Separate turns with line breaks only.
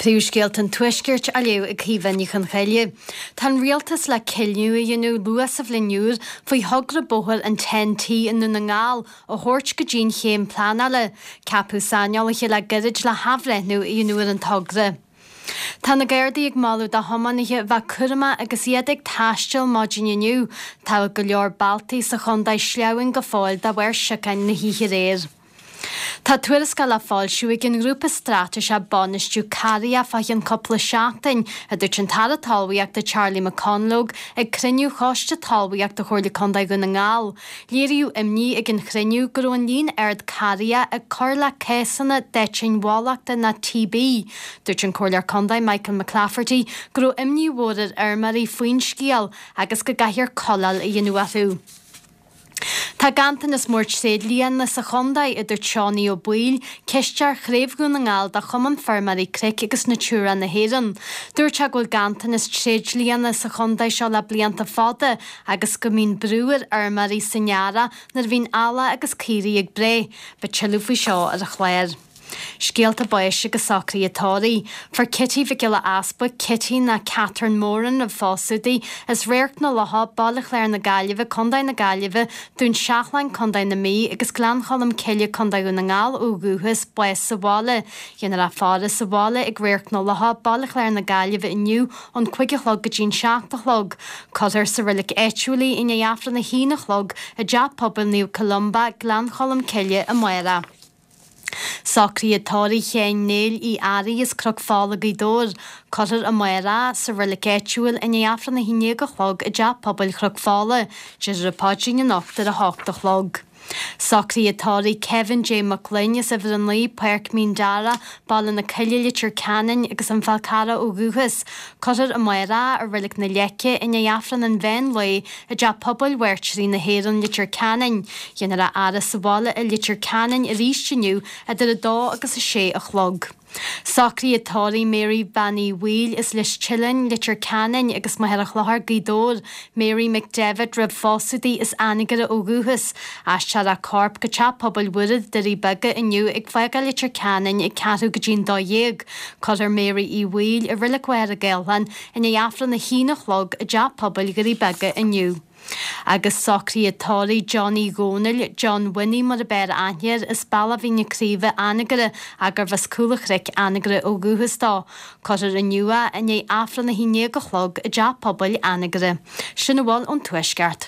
Príomhscéalta an Tuaiscirt á léamh ag Caoimhe Ní Chonchoille. Tá an Rialtas le cinneadh a dhéanamh luath sa bhliain úr faoi thogra bóthair an Ten-T i nDún na nGall a thabhairt go dtí an chéim pleanála. Ceapadh saineolaithe le gairid le hathbhreithniú a dhéanamh ar an togra. Tá na Gardaí ag moladh do thiománaithe bheith cúramach agus iad ag taisteal maidin inniu. Tá go leor bealtaí sa chontae sleamhain go fóill de bharr siocáin na hoíche aréir. Tá tuarascáil le foilsiú ag an nGrúpa Straitéiseach Bainistiú Carraigheacha fá cheann cúpla seachtain, a dúirt an tAire Talmhaíochta Charlie McConalogue ag cruinniú Choiste Talmhaíochta Chomhairle Contae Dhún na nGall. Léiríodh imní ag an chruinniú go raibh an líon ard carraigheacha ag cur le cásanna d'eitinn bhólachta nó TB. Dúirt an Comhairleoir Contae Michael McClafferty go raibh imní mhór ar fheirmeoirí faoin scéal agus go gcaithfear cóileáil a dhéanamh orthu. Tá ganntanas mór tréidlianna sa chontae, a dúirt Seánie Ó Baoill, cisteoir Chraobh Dhún na nGall de Chumann Feirmeoirí Cnoic agus Natura na hÉireann. Dúirt sé go bhfuil ganntanas tréidlianna sa chontae seo le blianta fada agus go mbíonn brú ar fheirmeoirí san earrach nuair a bhíonn eallach agus caoirigh ag breith. Beidh tuilleadh faoi seo ar an chlár. Scéalta báis agus socruithe tórraimh. Fuair Kitty Mhic Giolla Easbuig, Kitty nó Catherine Moran roimh phósadh di, as Radharc na Locha, Baile Chláir na Gaillimhe, Co. na Gaillimhe, Dún Seachlainn, Co. na Mí, agus Gleann Cholm Cille, Co. Dhún na nGall, ó dhúchas, bás sa bhaile. Dhéanfar a faire sa bhaile ag Radharc na Locha, Baile Chláir na Gaillimhe inniu ón 5 a chlog go dtí an 7 a chlog. Cuirfear sa reilig áitiúil í i ndiaidh Aifreann a haon a chlog i dTeach Pobail Naomh Columba, Gleann Cholm Cille amárach. Socruithe tórraimh Sheáin Néill Uí Fhearraigh as Cnoc Fola, Gaoth Dobhair. Cuirfear amárach sa reilig áitiúil i ndiaidh Aifreann 11 a chlog i dTeach Pobail Chnoc Fola. Déarfar an paidrín anocht ar a hocht a chlog. Socruithe tórraimh Kevin J Mac Gloinn as Uimhir 9, Páirc Mín Dara, Baile na Coille, Leitir Ceanainn agus An Fál Carrach ó dhúchas. Cuirfear amárach i Reilig na Leice i ndiaidh Aifreann an mheán lae i dTeach Pobail Mhairtírigh na hÉireann, Leitir Ceanainn. Dhéanfar a fhaire sa bhaile i Leitir Ceanainn arís inniu idir 2 agus 6 a chlog. Socruithe tórraimh Mary Bean Uí Bhaoill as Lios Tuileáin, Leitir Ceanainn agus Machaire Chlochair, Gaoth Dobhair, Mary McDevitt roimh phósadh di as Anagaire ó dhúchas. Aistreofar a corp go Teach Pobail Mhuire, Doirí Beaga inniu ag fágáil Leitir Ceanainn ag ceathrú go dtí an 12. Cuirfear Mary Uí Bhaoill i Reilig Mhachaire Gathlán i ndiaidh Aifreann 1 a chlog i dTeach Pobail Dhoirí Beaga inniu. Agus socruithe tórraimh Johnny Dhónaill, John Winnie mar a b'fhearr aithne air, as Bealach Mhín na Craoibhe, Anagaire, gurbh as Cúl an Chnoic, Anagaire ó dhúchas dó. Cuirfear inniu é i ndiaidh Aifreann 11 a chlog i dTeach Pobail Anagaire. Sin a bhfuil ón Tuaisceart.